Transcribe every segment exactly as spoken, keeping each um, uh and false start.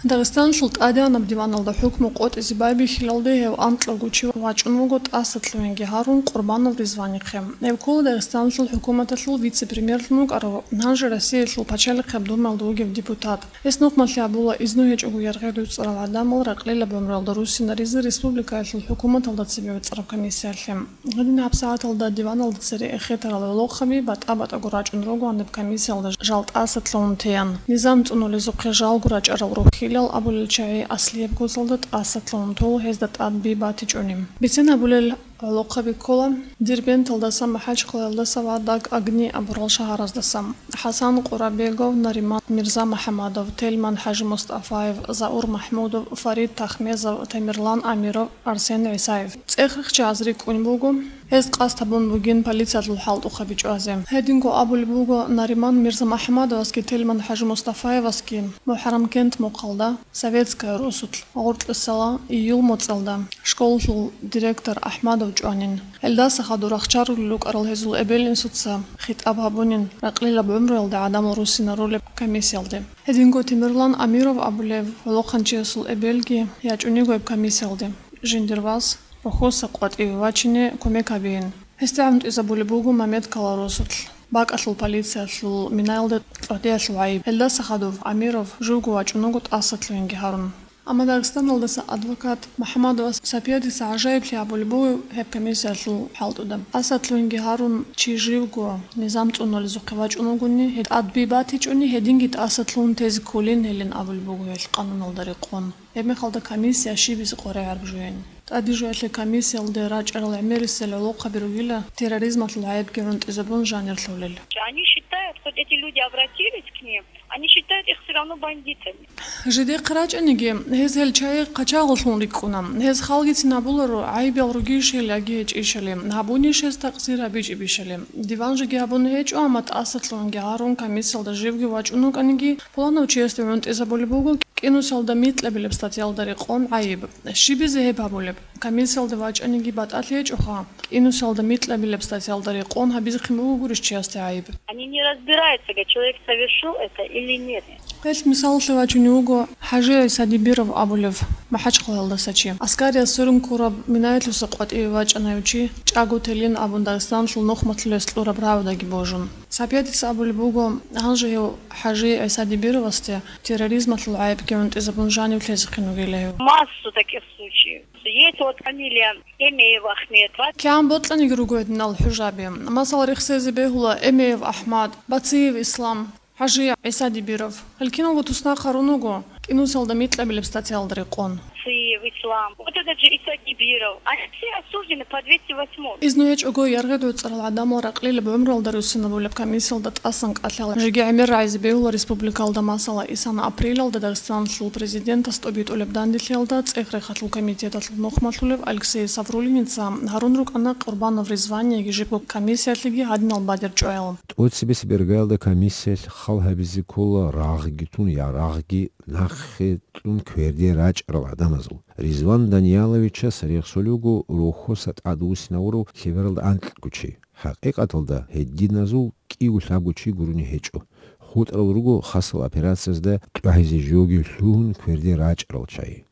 Дагъистаналъул тӀадегӀанаб диваналда хӀукму къотӀизе байбихьилалде гьев анкьавго чи вачӀун вуго тӀасалъугьинги гьарун Къурбанов Ризванихъе. Гьев ккола Дагъистаналъул хӀукуматалъул вице-премьерлъун вукӀарав, гьанже Россиялъул Пачалихъаб Думаялда вугев депутат. Гьес нухмалъи абула, изну гьечӀого яргъи гӀуцӀарал гӀадамал ракълилаб гӀумруялда руссинаризе республикаялъул хӀукуматалда цебе вецӀараб комиссиялъе. Гьедин гьабсагӀаталда диваналда цере эхетарал гӀолохъаби батӀа-батӀаго рачӀун ругоан гьеб комиссиялда жал тӀасалъугьун теян. Низам цӀунулезухъе жалго рачӀарал рухьилал абулел чагӀи аслияб гозалда тӀасалъугьун тола гьезда тӀад би батичӀони. Бицен абулел гӀолохъаби ккола Дербенталдаса, МахӀачхъалаялдаса ва Даг-Агни абурал шагьараздаса. ХӀасан Къурабегов, Нариман Мирза-МухӀамадов, Тельман ХӀажимустафаев, Заур МахӀмудов, Фарид Тахмезов, Тамерлан Амиров, Арсен ГӀисаев. ЦӀех-рихчагӀаз рикӀкӀун буго гьез къасд гьабун бугин полициялъул хӀалтӀухъаби чӀвазе. Гьединго абулеб буго Нариман Мирза-МухӀамадовасги Тельман ХӀажимустафаевасги МухӀаррамкент мухъалда, Советская росулъ, гъоркьисала июль моцӀалда школалъул директор АхӀмадов чӀванин. Гьелдаса хадур рахчарулел рукӀарал гьезул эбел-инсуца хитӀаб гьабунин ракълилаб гӀумруялда гӀадамал руссинарулеб комиссиялде. Гьединго Темирлан Амиров абулев гӀолохъанчиясул эбелги ячӀун йиго гьеб комиссиялде. Жиндир вас рохьоса къватӀиве вачине кумек гьабеян. Гьесда гӀунтӀизабулеб буго Мамедкала росулъ. БакӀалъул полициялъул минаялда кьогӀлъиялъул гӀайиб. Гьелдаса хадув Амиров живго вачӀун вуго тӀасалъугьинги гьарун. Амма Дагъистаналдаса адвокат МухӀамадова Сапиядица гӀажаиблъи абулеб буго гьеб комиссиялъул хӀалтӀуда. ТӀасалъугьинги гьарун чи живго низам цӀунулезухъе вачӀун вугони, гьеб тӀад би батичӀони, гьединги тӀасалъугьун тезе кколин гьелин абулеб буго гьелъ къануналда рекъон. Гьебмехалда комиссия щибизе къваригӀараб жугьин. ТӀадежваялъе комиссиялде рачӀарал гӀемерисел гӀолохъаби ругила терроризмалъул гӀайибги гӀунтӀизабун жанир лъолел. Они считают, хоть эти люди обратились к ним, они считают их всё равно бандитами. Жидехъе рачӀаниги, гьез гьел чагӀи хъачагъаллъун рикӀкӀуна. Гьез халгицин гьабуларо, гӀайибал ругищали яги гьечӀищали, гьабунищ гьез такъсир гьабичӀебищали. Диван жеги гьабун гьечӀо, амма тӀасалъугьинги гьарун комиссиялда живги вачӀун вукӀаниги, пуланав чиясде гӀунтӀизабулеб буго кӀинусалда микьабилеб статьялда рекъон гӀайиб. Щибизе гьеб гьабулеб? Комиссиялда вачӀаниги батӀалъи гьечӀоха, кӀинусалда микьабилеб статьялда рекъон гьабизехъин буго гурищ чиясде гӀайиб. Они не разбираются, как человек совершил это или нет. Гьелъ мисалалъе вачунев вуго ХӀажи ГӀиса Дибиров абулев МахӀачхъалаялдаса чи. Аскариялъ сверун ккураб минаялъуса къватӀиве вачӀана гьев чи, чӀаго телин абун Дагъистаналъул нухмалъулъ гьес кьураб рагӀудаги божун. Сапиядица абулеб буго, гьанже гьев ХӀажи ГӀиса Дибировасде терроризмалъул гӀайибги гӀунтӀизабун жанив лъезехъин вугила гьев. Массу таких случаев. Есть вот фамилия Эмеев Ахмед. КигӀан бокьаниги руго гьединал хӀужаби. Масала, рехсезе бегьула Эмеев АхӀмад, Бациев Ислам, ХӀажи ГӀиса Дибиров. Гьел киналго туснахъ гьарун вуго кӀинусалда микьабилеб статьялда рекъон. Бациев Ислам. Вот этот же Иса Дибиров. Они все осуждены по двести восьмой. Изну гьечӀого яргъи гӀуцӀарал гӀадамал ракълилаб гӀумруялда руссинарулеб комиссиялда тӀасан кӀалъала жеги гӀемер рагӀизе бегьула республикалда. Масала, исана апрелалда Дагъистаналъул президентас тӀобитӀулеб данделъиялда ЦӀех-рехалъул комитеталъул нухмалъулев Алексей Саврулиница гьарун рукӀана Къурбанов Ризвани яги жибго комиссиялъеги гьадинал бадер чӀваял. ТӀоцебесеб иргаялда комиссиялъ хал гьабизе ккола рагъги тун, ярагъги нахъе кьун кверде рачӀарал гӀадамазул. Ризван Данияловичас рехсолев вуго рохьоса тӀадвуссинавурав лъебералда анкьго чи. ХӀакъикъаталда гьединазул кӀиго-лъабго чи гурони гьечӀо. ХутӀарал руго хасал операциязда тӀагӀизе жоги лъугьун кверде рачӀарал чагӀи.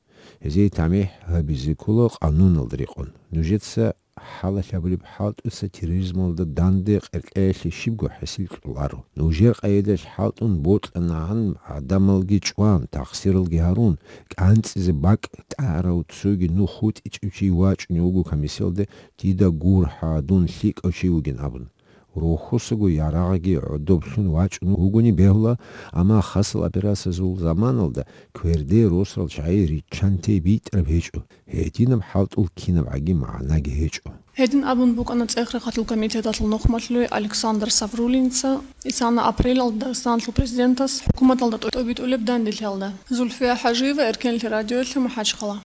Гьезие тамихӀ гьабизе ккола къануналда рекъон. Нужеца хӀалалъ гьабулеб хӀалтӀуца терроризмалда данде къеркьеялъе щибго хӀасил кьоларо. Нужер къайдаялъ хӀалтӀун бокьанагӀан гӀадамалги чӀван, тахсиралги гьарун, кӀанцӀизе бакӀ тӀагӀарав цоги нух хутӀичӀев чи вачӀунев вуго комиссиялде, дида гурхӀа, дун лъикӀав чи вугин абун. Рохьосаго ярагъги гӀодоблъун вачӀун вугони бегьула, амма хасал операциязул заманалда кверде росарал чагӀи риччанте битӀараб гьечӀо, гьединаб хӀалтӀул кинабгӀаги магӀнаги гьечӀо. Гьедин абун букӀана ЦӀех-рехалъул комитеталъул нухмалъулев Александр Саврулинца исана апрелалда Дагъистаналъул президентас хӀукуматалда тӀо-, тӀобитӀулеб данделъиялда. Зульфия ХӀажиева, Эркенлъи радиоялъе, МахӀачхъала.